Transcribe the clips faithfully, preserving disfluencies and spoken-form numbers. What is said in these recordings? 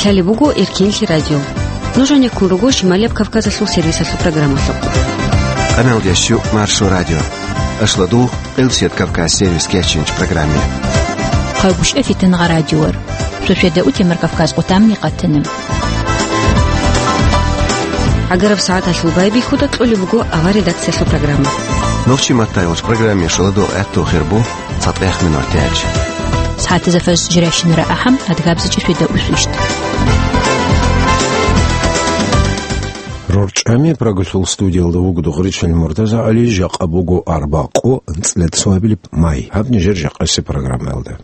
Лъалеб буго Эркенлъи радио. Нуж гьанеккун руго Шималияб Кавказалъул сервисалъул программалъухъ. Къаналдеш щу Маршо радио. Ашладу Къилсият Кавказ сервис кечинч программе. Хъайгъушъа фитангъа радиор. Шошеда утемар Кавказ къутамни къатана. ГӀагараб сагӀаталъул байбихьуда кьолеб буго авар редакциялъул программа. Нохчи маттайгъуч программе шаладу гӀатту хирбу. ЦатӀехмин артяч. СагӀатазафаз жиращинара ахӀам, адгабзичӀи шведа усвищ. РорчӀами Прагалъул студиялда вуго Дугъричил Муртаза ГӀали, жакъа буго арбакъу анцӀила цоабилеб май. Гьаб нижер жакъаси программаялда.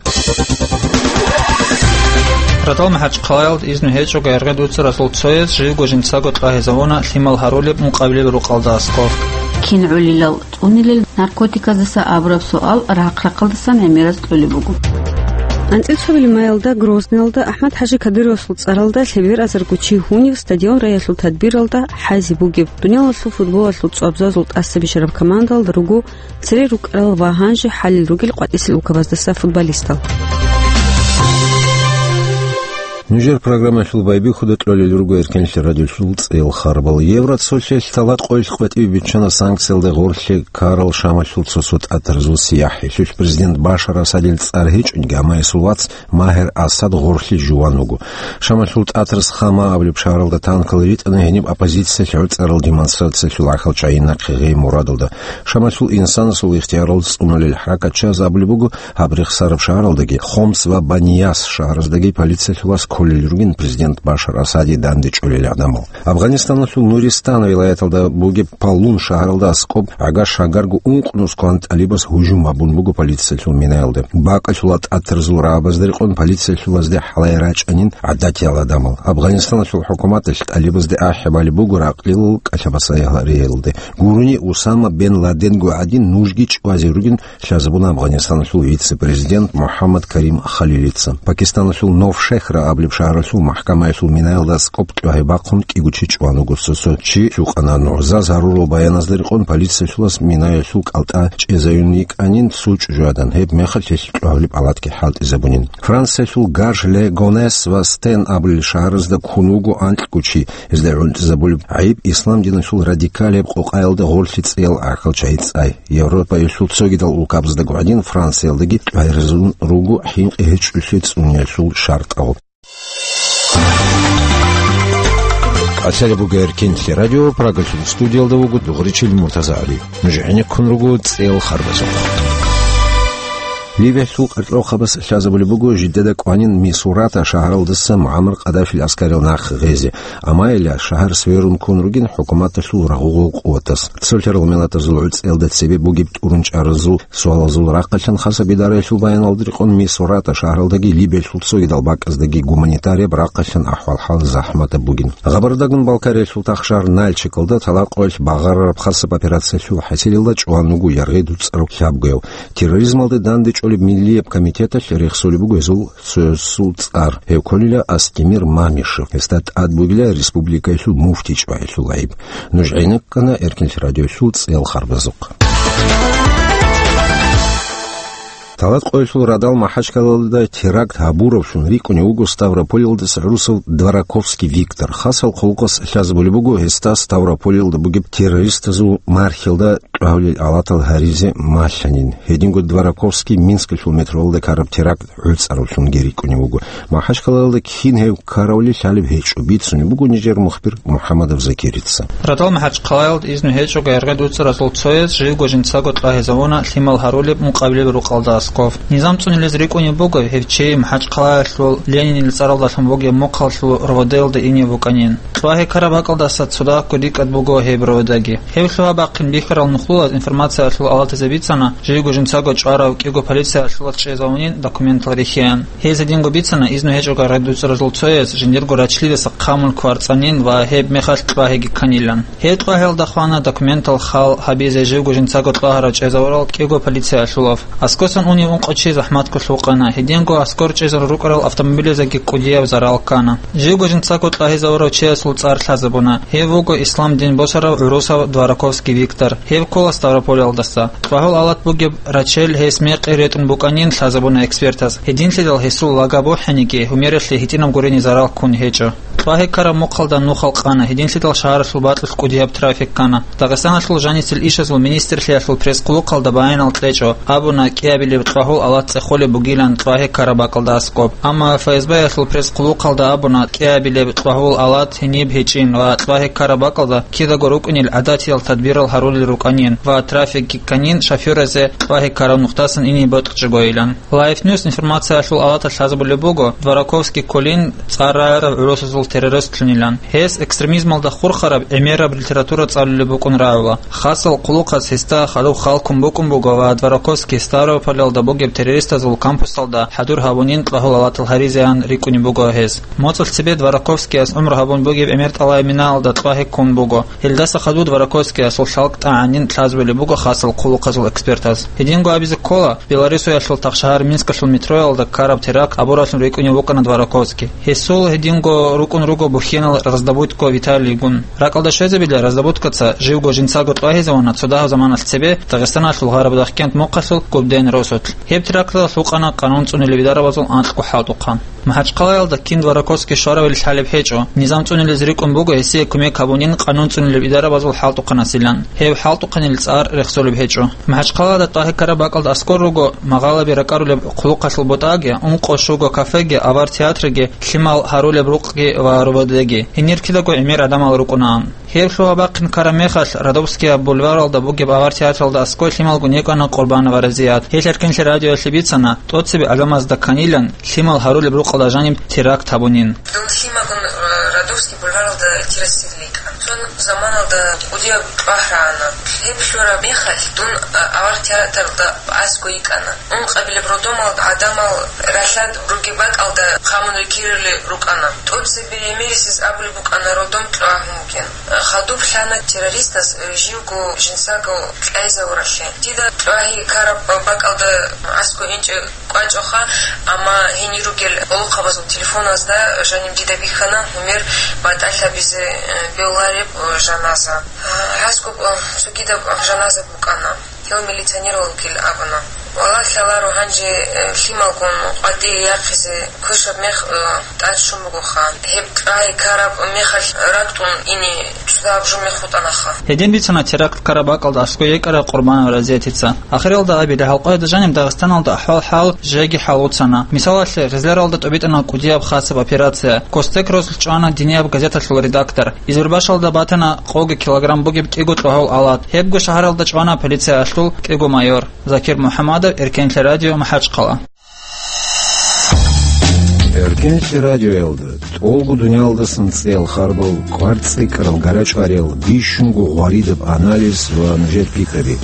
Радал МахӀачхъалаялда изну гьечӀого яргъи дуцаразул цояз живго жинцаго тӀагьизавуна лъимал гьарулеб мукъабилеб рукъалда аскӀоб. Кин гӀолилал цӀунилел наркотиказдаса абураб суал рахъ-рахъалдасан гӀемераз кьолеб буго. АнцӀила цоабилеб маялда Грозныйалда АхӀмад-ХӀажи Кадыровасул цӀаралда лъебераб азарго чи гьунив стадион райалъул тадбиралда хӀайзе бугеб, дуниялалъул футболалъул цоабзазул тӀаса бищараб командалда руго цере рукӀарал ва гьанже хӀалел ругел къватӀисел улкабаздаса футболистал. Нужер программалъул байбихьуда кьолел руго Эркенлъи радиолъул цӀел харбал. Евроцолъиялъ тӀалатӀа-къоялъ къватӀиве биччана санкциялда гъорлъе ккарал Шамалъул цо-цо тӀатарзул сияхӀ. Гьелъулъ президент Башар Асадил цӀар гьечӀониги, амма гьесул вац Магьар Асад гъорлъе жуван вуго. Шамалъул тӀатарс Хама абулеб шагьаралда танкал ритӀана гьениб оппозициялъ гӀуцӀарал демонстрациялъул гӀахьал чагӀи нахъе гъей мурадалда. Шамалъул инсанасул ихтиярал цӀунулел хӀаракатчияз абулеб буго, гьаб рехсараб шагьаралдаги, Хомс ва Банияс шагьараздаги полициялъулас кколел ругин президент Башар Асаде дандечӀолел гӀадамал. Афганистаналъул Нуристан вилаяталда бугеб Палун шагьаралда аскӀоб гӀага-шагарго ункънус кван тӀалибас гьужум гьабун буго полициялъул минаялда. БакӀалъула тӀатарзул рагӀабазда рекъон полициялъулазде хӀалай рачӀанин гӀадатиял гӀадамал. Афганистаналъул хӀукуматалъ тӀалибазде ахӀи балеб буго ракълилал кӀалъабасаялъ гьариялде. Гурони Усама бен Ладенго гӀадин нужги чӀвазе ругин лъазабуна Афганистаналъул вице-президент МухӀаммад Карим Халилица. Пакистаналъул Новшехра абулеб шагьаралъул махӀкамаялъул минаялда аскӀоб тӀагьи бахъун кӀиго чи чӀван вуго, цо-цо чи лъукъана. НугӀзаз гьарурал баяназда рекъон полициялъулас минаялъул кӀалтӀа чӀезаюн йикӀанин цо чӀужугӀадан, гьеб мехалъ гьелъ тӀагьлеб палатги хӀалтӀизабунин. Франциялъул Гарж-ле-Гонес ва Стен абулел шагьаразда ккун вуго анкьго чи, гьезда гӀунтӀизабулеб гӀайиб ислам диналъул радикалияб къокъаялда гъорлъи цӀиял гӀахьал чагӀи цӀай. Европаялъул цогидал улкабаздаго гӀадин, Франциялдаги тӀагьирзабун руго хӀинкъи гьечӀолъи цӀуниялъул шартӀал. КӀалъалеб буго Эркенлъи радио, Прагалъул студиялда вуго Дугъричил Муртаза ГӀали. Нуж гӀенеккун руго цӀел харбазухъ. Ливиялъул къаркьрохъабаз лъазабулеб буго жидеда кӀванин Мисурата шагьаралдаса МугӀаммар Къаддафил аскарил нахъ гъезе. Амма гьелъ шагьар сверун ккун ругин хӀукуматалъул рагъугъул къуватас. Цолъарал миллатазул гӀуцӀиялда цебе бугеб тӀурун чӀаразул суалазул рахъалъан хасаб идараялъул баяналда рекъон Мисурата шагьаралдаги Либиялъул цогидал бакӀаздаги гуманитарияб рахъалъан ахӀвал-хӀал захӀматаб бугин. Гъабардагун Балкариялъул тахшагьар Нальчикалда тӀалатӀа-къоялъ багъарараб хасаб операциялъул хӀасилалда чӀван вуго яргъи дуцӀарав лъабгояв. Терроризмалде дандечӀолеб миллияб комитеталъ рехсолеб буго гьезул цоясул цӀар. Гьев кколила Астемир Мамишев. Гьесда тӀад бугила республикаялъул муфти чӀваялъул гӀайиб. Нуж гӀенеккана Эркенлъи радиоялъул цӀел харбазухъ. ТӀалатӀа-къоялъул радал Махачкалалда теракт гьабуравлъун рикӀкӀунев вуго Ставрополалдаса гӀурусав Двораковский Виктор. Хасал хъулухъас лъазабулеб буго гьесда Ставрополалда бугеб террористазул мархилда тӀагьулел алатал гьаризе малъанин. Гьединго Двораковский Минскалъул метроялда ккараб теракт гӀуцӀаравлъунги рикӀкӀунев вуго. Махачкалалда кин гьев ккаравли лъалеб гьечӀо, бицунеб буго нижер мухбир МухӀаммадов Закирица. Радал Махачкалаялда изну гьечӀого яргъи дуцӀаразул цояз живго жинцаго тӀагьизавуна лъимал гьарулеб мукъабилеб рукъалда аскӀоб. Низам цӀунилез рикӀкӀунеб буго, гьев чи Махачкалаялъул Ленинил цӀаралдалъун бугеб мухъалъул РОВД-ялда инев вукӀанин. ТӀагьи ккараб бакӀалдаса цо дагьабго рикӀкӀад буго гьеб РОВД-яги. Гьеб лъугьа-бахъин бихьарал нухлулаз информациялъул алатазе бицана, живго жинцаго чӀварав кӀиго полициялъулас чӀезавунин документал рихьеян. Гьез гьединго бицана изну гьечӀого яргъи дуцӀаразул цояз жиндирго рачлидаса хъамул кварцӀанин ва гьеб мехалъ тӀагьиги кканилан. Гьеб тӀагьиялда хвана документал хал гьабизе живго жинцаго тӀагьарав чӀезавурав кӀиго полициялъулав. АскӀосан ун Ункъо чи захӀматго лъукъана. Гьединго аскӀор чӀезарун рукӀарал автомобилазеги кӀудияб зарал ккана. Живго жинцаго кьвагьизавурав чиясул цӀар лъазабуна. Гьев вуго ислам дин босарав гӀурусав Двораковский Виктор. Гьев ккола Ставрополалдаса. Кьвагьул алат бугеб рачел гьес мекъи ретӀун букӀанин лъазабуна экспертаз. Гьединлъидал гьесул лага бухӀениги, гьумералъе гьитӀинаб гурони зарал ккун гьечӀо. Кьвагьиккараб мухъалда нухал къана, гьединлъидал шагьаралъул бакьулъ кӀудияб трафик ккана. Дагъистаналъул жаницел ишазул министрлъиялъул пресс-къулухъалда баяналда кьечӀо, абуна кӀиабилеб кьвагьул алат цӀехолеб бугилан кьвагьиккараб бакӀалда аскӀоб. Амма ФСБ-ялъул пресс-къулухъалда абуна кӀиабилеб кьвагьул алат гьениб гьечӀин ва кьвагьиккараб бакӀалда кидаго рукӀунел гӀадатиял тадбирал гьарулел рукӀанин ва трафикги кканин шофёразе кьвагьиккараб нухдасан ине бокьичӀогойилан. Life News информациялъул алаталъ лъазабулеб буго, Двораковский кколин цӀар рагӀарав гӀурусазул террористлъунилан. Гьес экстремизмалда хурхараб гӀемераб литература цӀалулеб букӀун рагӀула. Хасал хъулухъас гьесда хадуб хал ккун букӀун буго ва Двораковский Ставрополалда бугеб террористазул кампусалда хӀадур гьабунин кьвагьул алатал гьаризеян рикӀкӀунеб буго гьес. МоцӀалъ цебе Двораковскияс гӀумру гьабун бугеб гӀемер тӀалаб минаялда кьвагьи ккун буго. Гьелдаса хадуб Двораковскиясул лъалкӀ тӀагӀанин лъазабулеб буго хасал хъулухъазул экспертаз. Гьединго абизе ккола, Беларусиялъул тахшагьар Минскалъул метроялда ккараб теракт абураллъун рикӀкӀунев вукӀана Двораковский. Гьесул гьединго рукӀун руго бухьенал Раздобудько Виталийгун. РакӀалда щвезабила, Раздобудькоца живго жинцаго кьвагьизавуна цо дагьаб заманалъ цебе Дагъистаналъул гъараб Дахкент мухъалъул Губден росулъ. Гьеб теракталда лъукъана къанун цӀунилеб идарабазул анкьго хӀалтӀухъан. МахӀачхъалаялда кин Двораковский щваравилан лъалеб гьечӀо. Низам цӀунилез рикӀкӀун буго гьесие кумек гьабунин къанун цӀунилеб идарабазул хӀалтӀухъанасилан. Гьеб хӀалтӀухъанил цӀар рехсолеб гьечӀо. МахӀачхъалада тӀагьиккараб бакӀалда аскӀор руго, магъалаби ракӀарулеб хъулухъалъул бутӀаги, ункъо щуго кафеги, авар театрги, лъимал гьарулеб рукъги ва РОВДги. Гьенир кидаго гӀемер гӀадамал рукӀунаан. Гьеб лъугьа-бахъин ккараб мехалъ, Радовскиял бульваралда бугеб авар театралда аскӀой лъималго некӀана Къурбанова Разият. Гьелъ Эркенлъи радиоялъе бицана, тӀоцебе гӀадамазда кканилан лъимал гьарулеб рукъалда жаниб теракт гьабунин. Дун лъимагун, э, Радовский бульваралда террасирлъи йикӀан. Цо заманалда кӀудияб тӀагь рагӀана. Гьеб лъураб мехалъ дун, э, авар театралда аскӀой йикӀана. Ункъабилеб родомалда гӀадамал ралъад ругеб бакӀалда хъамун рекерулел рукӀана. ТӀоцебе гӀемерисез абулеб букӀана родом кьвагьун бугин. Хадуб лъана террористас живго жинцаго кьвагьизавуралъе. Дида кьвагьи ккараб бакӀалда аскӀо инчӀеб кӀвачӀоха, амма гьенир ругел гӀолохъабазул телефоназда жаниб дида бихьана гьумер батӀалъабизе, э, бегьулареб, э, жаназа. Гьазго, э, цогидаб жаназа букӀана. Гьев милиционер вугилан абуна. Валлагь, лъаларо гьанже, э, лъималгун къватӀие яхъизе квешаб мех, э, тӀад щун бугоха. Гьеб кьвагьи ккараб мехалъ ракӀ тӀун ине цо дагьаб жо мех хутӀанаха. Гьедин бицана теракт ккараб бакӀалда аскӀой йикӀараб Къурбанова Разиятица. Ахиралда абила, гьалкъояда жаниб Дагъистаналда ахӀвал-хӀал жеги хӀалуцана. Мисалалъе, Гъизляралда тӀубитӀана кӀудияб хасаб операция. Костек росулъ чӀвана динияб газеталъул редактор. Избербашалда батана къоги килограмм бугеб кӀиго кьвагьул алат. Гьебго шагьаралда чӀвана полициялъул кӀиго майор. Закир МухӀамадов, Эркенлъи радио, МахӀачхъала. Эркенлъи радиоялда тӀолго дуниялалдасан цӀеял харбал, кӀвар цӀикӀкӀарал гарачӀвариял, бищунго гъваридаб анализ ва нужер пикраби.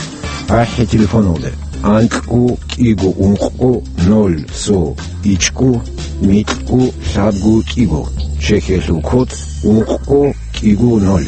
АхӀи телефоналде: анкьго кӀиго ункъго ноль цо ичӀго микьго лъабго кӀиго. Чехиялъул код: ункъго кӀиго ноль.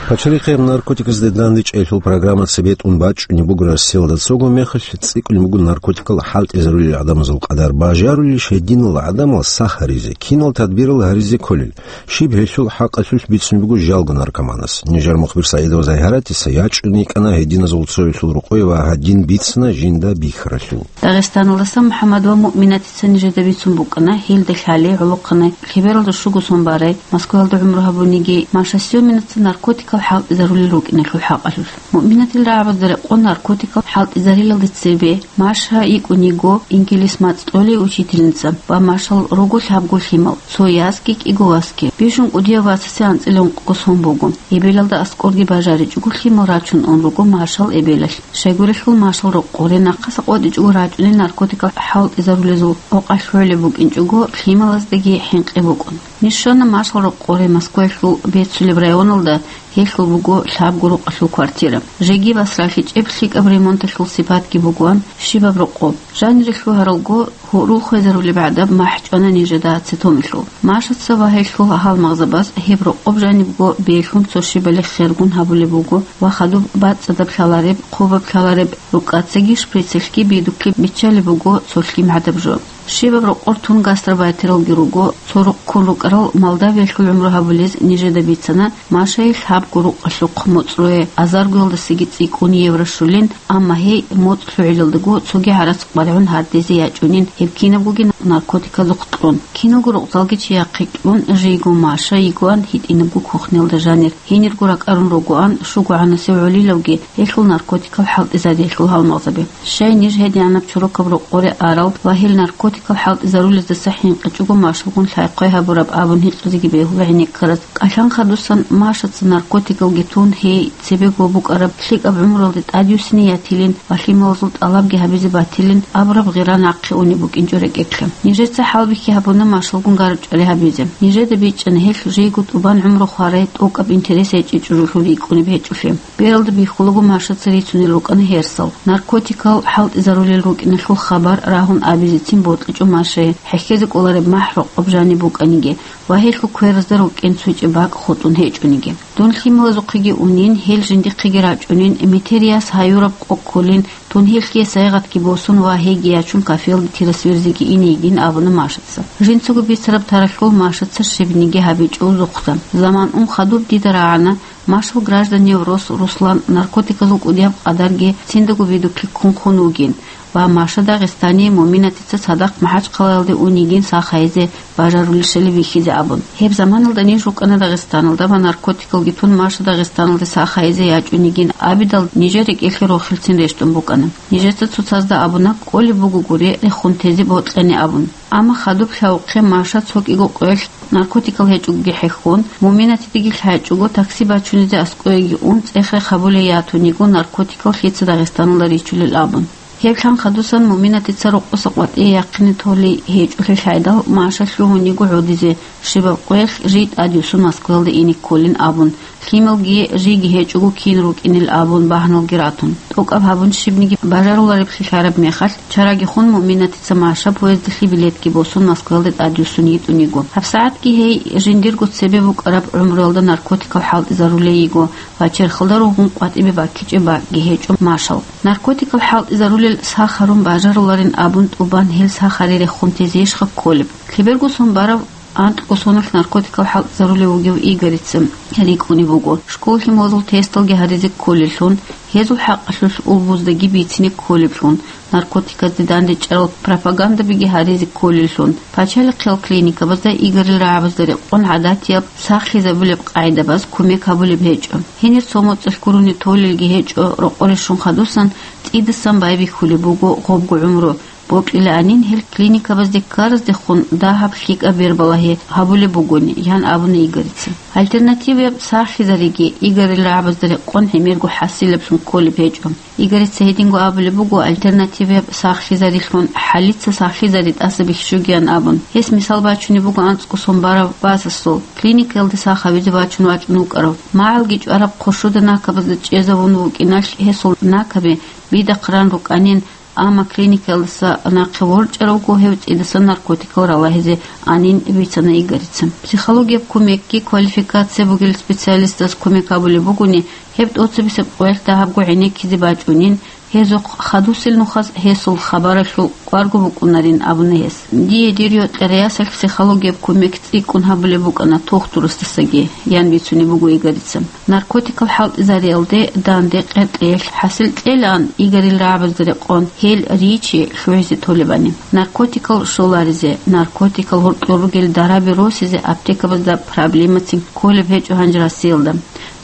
Пачалихъе наркотиказде дандечӀейилъул программа цебетӀун бачӀунеб буго Россиялда. Цого мехалъ цӀикӀкӀун буго наркотикал хӀалтӀизарулел гӀадамазул къадар. Бажарулищ гьединал гӀадамал сах гьаризе, кинал тадбирал гьаризе кколел? Щиб гьелъул хӀакъалъулъ бицун буго жалго наркоманас? Нижер мухбир СагӀидова Загьаратица ячӀун йикӀана гьединазул цоялъул рокъое ва гьадин бицана жинда бихьаралъул. Дагъистаналдаса МухӀаммад ва Муъминатица нижеда бицун букӀана, гьелда лъалей гӀолохъанай, лъебералда щуго сон барай, Москваялда гӀумру гьабуниги, Маша Сёминаца наркотикал хӀалтӀизарулел рукӀиналъул хӀакъалъулъ. Муъминатил рагӀабазда рекъон наркотикал хӀалтӀизарилалде цебе Маша йикӀун йиго инкелис мацӀ тӀолей учительница ва Машал руго лъабго лъимал, цо ясги кӀиго васги. Бищун кӀудияб васасе анцӀила ункъго сон буго. Эбелалда аскӀорги бажаричӀого лъимал рачун ун руго Машал эбелалъ. Щайгурелъул Машал рокъоре нахъаса къотӀичӀого рачӀунел наркотикал хӀалтӀизарулезул къокъалъ лъолеб букӀинчӀого лъималаздаги хӀинкъи букӀун. Ниж щвана Машал рокъоре Москваялъул бецулеб районалда, гьелъул буго лъабго рукъалъул квартира. Жеги басралъичӀеб лъикӀаб ремонталъул сипатги бугоан щибаб рокъоб. Жанире лъугьаралго, гьурул хвезарулеб гӀадаб махӀ чӀвана нижеда ацетомилъул. Машаца ва гьелъул гьалмагъзабаз гьеб рокъоб жанибго бегьлъун цо щибали хергун гьабулеб буго ва хадуб бацӀцӀадаб лъалареб, хъубаб лъалареб, рукӀацаги шприцалъги бидуклъи биччалеб буго цо лъим гӀадаб жо. Щибаб рокъор тун гастробайтералги руго, цо рукъ ккун рукӀарал Молдавиялъул гӀумру гьабулез нижеда бицана, Машайил лъабго рукъалъухъ моцӀ руе, азаргоялдасаги цӀикӀкӀун евро щулин, амма гьей моцӀ лъугӀилалдаго цоги гӀарац къваригӀун гьардезе ячӀунин, гьеб кинабгоги наркотиказухъ кьун. Киналго рукъзалги чияхъе кьун, жийго Маша йигоан гьитӀинабго кухнялда жанир. Гьенирго ракӀарун ругоан, щугогӀанасев гӀолилавги, гьелъул наркотикал хӀалтӀизариялъул гьалмагъзаби. Щай ниж гьедигӀанаб чорокаб рокъоре арал ва гьел наркотикал хӀалтӀизарулездаса хӀинкъичӀого Машалгун лъай-хъвай гьабураб абун гьикъизеги бегьула гӀенеккараз. КӀалъан хадусан Машаца наркотикалги тун, гьей цебего букӀараб лъикӀаб гӀумруялде тӀадюссине ятилин ва лъималазул тӀалабги гьабизе батилин абураб гъира нахъе унеб букӀинчӀо рекӀелъе. Нижеца хӀалбихьи гьабуна Машалгун гарчӀвали гьабизе. Нижеда бичӀчӀана гьелъ жийго тӀубан гӀумру хварай тӀокӀаб интерес гьечӀичӀо жулъул рикӀкӀунеб гьечӀолъи. Бералда бихьулаго Машаца рицунел рукӀана гьерсал. Наркотикал хӀалтӀизарулел рукӀиналъул хабар рагьун абизецин бокьичӀо Машае, хӀехьезе кӀолареб махӀ рокъоб жаниб букӀаниги ва гьелъул кверазда рукӀин цо чӀебакӀ хутӀун гьечӀониги. Дун лъималазухъеги унин, гьел жиндихъеги рачӀунин, метер яс гьаюраб къо кколин, дун гьелъие сайгъатги босун ва гьейги ячун кафелде тирасверзеги ине йигин абуна Машаца. Жинцаго бицараб таралъул Машаца щибниги гьабичӀо узухъа. Заман ун хадуб дида рагӀана, Машал гражданияв рос Руслан наркотиказул кӀудияб къадарги циндаго бидуклъи ккун хун вугин ва Маша Дагъистание Муминатица цадахъ МахӀачхъалаялде ун йигин сах гьайизе бажарулел щалеб вихьизе абун. Гьеб заманалда ниж рукӀана Дагъистаналда ва наркотикалги тун Маша Дагъистаналде сах гьайизе ячӀун йигин абидал, нижер рекӀелъе рохелцин рещтӀун букӀана. Нижеца цоцазда абуна, кӀолеб бугогури рехун тезе бокьани абун. Амма хадуб лъавухъе Маша цо кӀиго къоялъ наркотикал гьечӀогоги хӀехьон, Муминатидеги лъачӀого такси бачунизе аскӀоеги ун, цӀех-рех гьабулей ятун йиго наркотикал лъица Дагъистаналда ричулел абун. Гьеб лъан хадусан Муминатица рокъоса къватӀие яхъине толей гьечӀолъи лъайдал, Маша лъугьун йиго гӀодизе, щибаб къоялъ жий тӀадюссун Москваялда ине кколин абун, лъималги жийги гьечӀого кин рукӀинел абун багьаналги ратун. ТӀокӀаб гьабун щибниги бажарулареблъи лъараб мехалъ, чараги хун Муминатица Маша поездалъе билетги босун Москваялде тӀадюссун йитӀун йиго. ГьабсагӀатги гьей жиндирго цебе букӀараб гӀумруялда наркотикал хӀалтӀизарулей йиго ва черхалда ругъун къватӀибе баккичӀеб бакӀги гьечӀо Машал. Наркотикал хӀалтӀизарулел сах гьарун бажаруларин абун тӀубан гьел сах гьари рехун тезейищха кколеб? Лъеберго сон барав анкьго соналъ наркотикал хӀалтӀизарулев вугев Игорица рикӀкӀунеб буго, школалъе мугьазул тесталги гьаризе кколеллъун, гьезул хӀакъалъулъ улбуздаги бицине кколеблъун, наркотиказде данде чӀарал пропагандабиги гьаризе кколеллъун. Пачалихъиял клиникабазда Игорил рагӀабазда рекъон гӀадатияб сахлъизабулеб къагӀидабаз кумек гьабулеб гьечӀо. Гьенир цо моцӀалъ гурони толелги гьечӀо, рокъоре щун хадусан цӀидасан байбихьулеб буго гъобго гӀумру. Бокьилаанин гьел клиникабазде ккараздехун дагьаб лъикӀаб бербалагьи гьабулеб бугони, ян абуна Игорица. Альтернативаяб сахлъизариги Игорил рагӀабазда рекъон гӀемерго хӀасилаблъун кколеб гьечӀо. Игорица гьединго абулеб буго альтернативаяб сахлъизарилъун хӀалица сахлъизари тӀаса бихьчӀогиян абун. Гьес мисал бачунеб буго анцӀго сон барав Васасул, клиникаялде сах гьавизе вачун вачӀун вукӀарав. МагӀалги чӀвараб хъуршуда накабазда чӀезавун вукӀиналъ гьесул накаби бидахъ ран рукӀанин, амма клиникаялдаса нахъе ворчӀаравго гьев цӀидасан наркотикал ралагьизе анин бицана Игорица. Психологияб кумекги квалификация бугел специалистаз кумек гьабулеб бугони, гьеб тӀоцебесеб къоялъ дагьабго гӀенеккизе бачӀунин, гьезухъ хадусел нухаз гьесул хабаралъул кӀварго букӀунарин абуна гьес. Дие дир йокьариясалъ психологияб кумек цӀикӀкӀун гьабулеб букӀана тухтурасдасаги, ян бицунеб буго Игорица. Наркотикал хӀалтӀизариялде данде къеркьеялъ хӀасил кьелаан Игорил рагӀабазда рекъон гьел ричи лъугӀизе толебани. Наркотикал щоларизе, наркотикал гьоркьор ругел дараби росизе аптекабазда проблемацин кколеб гьечӀо гьанже Россиялда.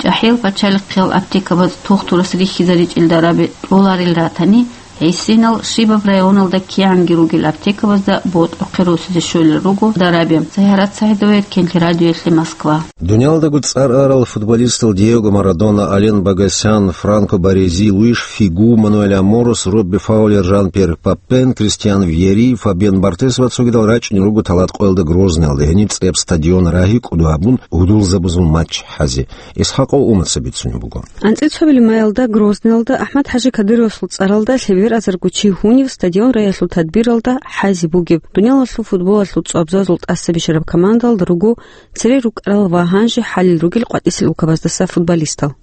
ЧӀахӀиял пачалихъиял аптекабаз тухтурас рихьизаричӀел дараби тӀоларел ратани, Гьесинал щибаб районалда кигӀанги ругел аптекабазда ботӀрохъе росизе щолел руго дараби. Сайгьарат Сагьидова, Эркенлъи радиоялъе, Москва. Дуниялдаго цӀар арал футболистал Диего Марадона, Ален Багасян, Франко Барези, Луиш Фигу, Мануэль Аморос, Робби Фаулер, Жан-Пьер Папен, Кристиан Вьери, Фабиан Бартез ва цогидал рачӀунел руго талат къоялда Грозныялда гьениб цӀеб стадион рагьи кӀудо гьабун гьудулзабазул матч хӀазе. Исхаков Умаца бицунеб буго. АнцӀила цо майлда Грозныялда АхӀмад-ХӀажи Кадыровасул цӀаралда лъеберазарго чи гьунив стадион рагьиялъул тадбиралда хӀазе бугеб дуниялалъул футболалъул цӀвабзазул тӀасабищараб командалда руго цере рукӀарал ва гьанже хӀалел ругел къватӀисел улкабаздаса футболистал.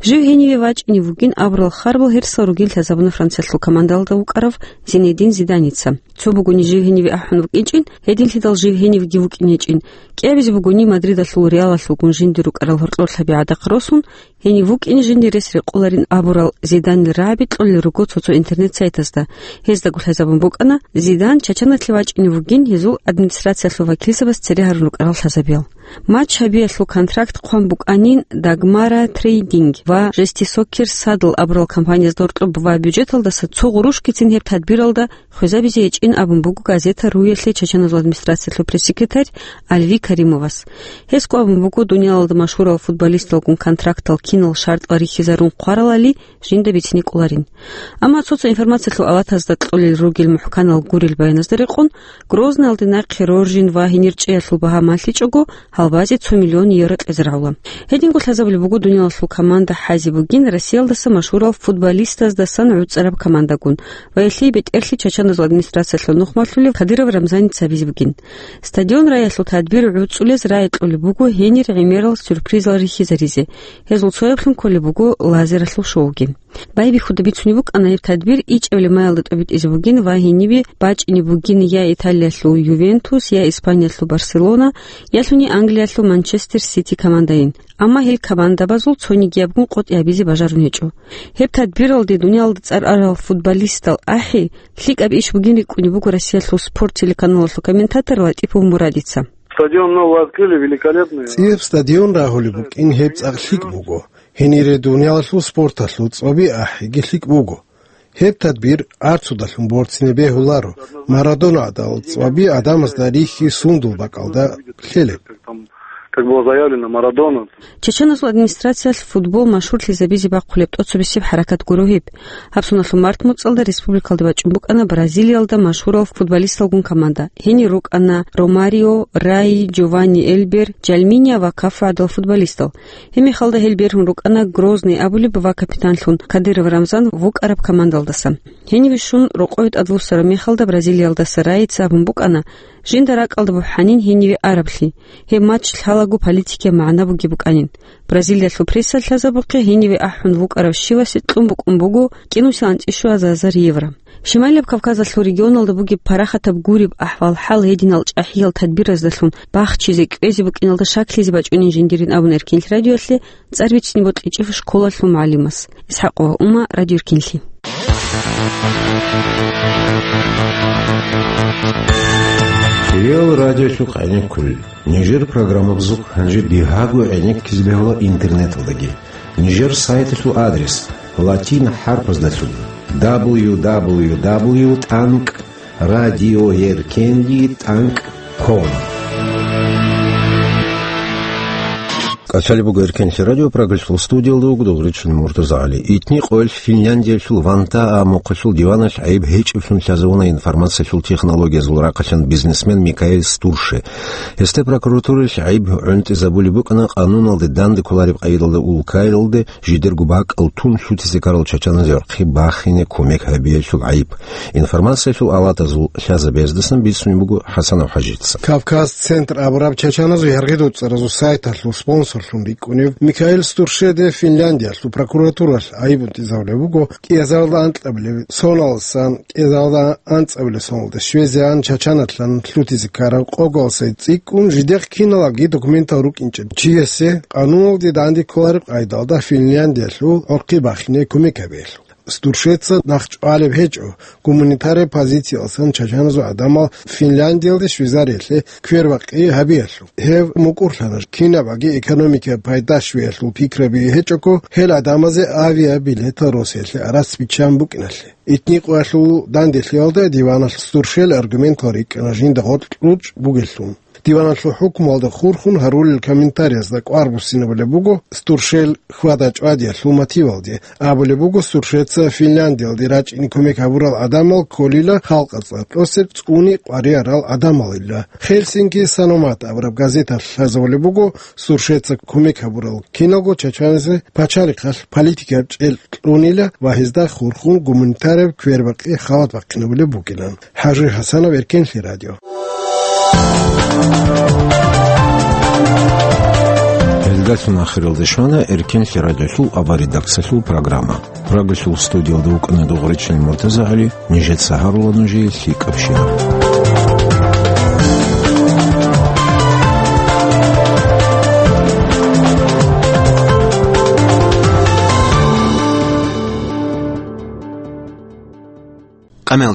Жив гьениве вачӀине вугин абурал харбал гьерсал ругин лъазабуна Франциялъул командалда вукӀарав Зинедин Зиданица. Цо бугони жив гьениве ахӀун вукӀинчӀин, гьединлъидал жив гьенивги вукӀинечӀин. КӀиабизе бугони Мадридалъул Реалалъулгун жинди рукӀарал гьоркьор лъаби гӀадахъ росун, гьенив вукӀин жинди рес рекъоларин абурал Зиданил рагӀаби кьолел руго цо-цо интернет-сайтазда. Гьездаго лъазабун букӀана, Зидан Чачаналъе вачӀине вугин гьезул администрациялъул вакилзабаз цере гьарун рукӀарал лъазабиял. Матч гьабиялъул контракт хъван букӀанин Дагмара Трейдинг ва Жести Соккер Садл абурал компаниязда гьоркьоб ва бюджеталдаса цо гъурушкицин гьеб тадбиралда хвезабизе гьечӀин абун буго газета РУ-ялъе Чачаназул администрациялъул пресс-секретарь Альви Каримовас. Гьесго абун буго, дуниялалда машгьурал футболисталгун контрактал кинал шартӀал рихьизарун хъваралали, жинда бицине кӀоларин. Амма цо-цо информациялъул аватазда кьолел ругел мухӀканал гурел баяназда рекъон, Грозныялде нахъе роржин ва гьенир чӀеялъул багьа малъичӀого, гьалбазе цо миллион евро кьезе рагӀула. Гьединго лъазабулеб буго дуниялалъул команда хӀазе бугин Россиялдаса машгьурал футболистаздасан гӀуцӀараб командагун ва гьелъие бетӀерлъи Чачаназул администрациялъул нухмалъулев Кадыров Рамзаница гьабизе бугин. Стадион рагӀиялъул тадбир гӀуцӀулез рагӀи кьолеб буго гьенир гӀемерал сюрпризал рихьизаризе. Гьезул цояблъун кколеб буго лазералъул шоуги. Байбихьуда бицунеб букӀана гьеб тадбир ичӀабилеб маялда тӀобитӀизе бугин ва гьенибе бачӀине бугин я Италиялъул Ювентус, я Испаниялъул Барселона, ялъуни Англиялъул Манчестер Сити командайин. Амма гьел командабазул цонигиябгун къотӀи гьабизе бажарун гьечӀо. Гьеб тадбиралде дуниялда цӀар арал футболистал ахӀи, лъикӀаб иш бугин рикӀкӀунеб буго Россиялъул спорт телеканалалъул комментатор Латипов Мурадица. Стадион новый открыли, великолепный. ЦӀикӀкӀаб стадион рагьулеб букӀин гьеб цӀакъ лъикӀ буго. Гьенире дуниялалъул спорталъул цӀваби ахӀиги лъикӀ буго. Гьеб тадбир арцудалъун борцине бегьуларо, Марадона гӀадал цӀваби гӀадамазда рихьи сундул бакӀалда лъелеб. Как было заявлено, Марадона. Чачаназул администрациялъ футбол машгьурлъизабизе бахъулеб тӀоцебесеб хӀаракат гуро гьеб. Гьаб соналъул март муцӀалда республикалде бачӀун букӀана Бразилиялда машгьурал футболисталгун команда. Гьенир рукӀана Ромарио, Раи, Джованни Эльбер, Джальминия ва Кафу гӀадал футболистал. Гьеб мехалда гьел бергьун рукӀана Грозный абулеб ва капитанлъун Кадыров Рамзан вукӀараб командалдаса. Гьениве щун рокъове тӀадвуссараб мехалда Бразилиялдаса Раица абун букӀана, жинда ракӀалда бухӀанин гьениве араблъи, гьеб матч лъалаго политикияб магӀна бугеб букӀанин. Бразилиялъул прессалъ лъазабухъе гьениве ахӀун вукӀарав щивасе кьун букӀун буго кӀинусилан цӀищуазазар евро. Шималияб Кавказалъул регионалда бугеб парахатаб гуреб ахӀвал-хӀал гьединал чӀахӀиял тадбираздалъун бахчизе кӀвезе букӀиналда шаклъизе бачӀунин жиндирин абун Эркенлъи радиоялъе цӀар бицине бокьичӀев школалъул мугӀалимас. Исхакова Ума, Радио Эркенлъи. Реал радиолъухъ гӀенеккулел. Нижер программабазухъ гьанже бигьаго гӀенеккизе бегьула интернеталдаги. Нижер сайталъул адрес латин хӀарпаздалъун: дабл ю дабл ю дабл ю тӀанкӀ радиоеркенлъи тӀанкӀ ком. КӀалъалеб буго Эркенлъи радио, Прагалъул студиялда вуго Дугъричун МуртазагӀали. Итни къоялъ Финляндиялъул Вантаа мухъалъул диваналъ гӀайиб гьечӀеблъун лъазавуна информациялъул технологиязул рахъалъан бизнесмен Микаэль Стурше. Гьесда прокуратуралъ гӀайиб гӀунтӀизабулеб букӀана къануналде данде кколареб къайдалда улкаялде жидерго бакӀал тун лъутизе ккарал чачаназда гӀорхъи бахине кумек гьабиялъул гӀайиб. Информациялъул аватазул лъазабаздасан бицунеб буго ХӀасанов ХӀажица. Кавказ Центр абураб чачаназул яргъи-доцӀаразул сайталъул спонсорлъун рикӀкӀунев Микаэль Стуршеде Финляндиялъул прокуратуралъ гӀайиб гӀунтӀизабулеб буго кӀиазарда анкьабилеб соналдасан кӀиазарда анцӀабилеб соналде щвезегӀан чачаналъан лъутизе ккараб къогалъ цӀикӀкӀун жидехъ киналги документал рукӀинчӀеб чиясе къануналде данде кколареб къайдалда Финляндиялъул гӀорхъи бахине кумек гьабиялъул. Стуршеца нахъ чӀвалеб гьечӀо гуманитараб позициялдасан чачаназул гӀадамал Финляндиялде, Швейцариялъе квербакъи гьабиялъул. Гьев мукӀурлъана кинабаги экономикаялъ пайда щвеялъул пикраби гьечӀого, гьел гӀадамазе авиабилетал Россиялъе арас биччан букӀиналъе. Итни къоялъул данделъиялда диваналъ Стуршел аргументал рикӀкӀана жинда гъоркь кьучӀ бугеллъун. Диваналъул хӀукмуялда хурхун гьарулел комментариязда кӀвар буссинабулеб буго Стуршел хьвада-чӀвадиялъул мотивалде. Абулеб буго, Стуршеца Финляндиялде рачӀине кумек гьабурал гӀадамал кколила халкъалъ цӀар тӀосе цӀуни къваригӀарал гӀадамалила. Хельсинки Саномат абураб газеталъ лъазабулеб буго, Стуршеца кумек гьабурал киналго чачаназе пачалихъалъ политикаб чӀел кьунила ва гьезда хурхун гуманитараб квербакъи халат бахъинабулеб букӀилан. ХӀажи ХӀасанов, Эркенлъи радио. Гьелдалъун ахиралде щвана Эркенлъи радиолъул аваридаксалъул программа. Прагалъул студиялда вукӀана Дугъричин МуртазагӀали, нижеца гьарула нужее лъикӀабщинаб.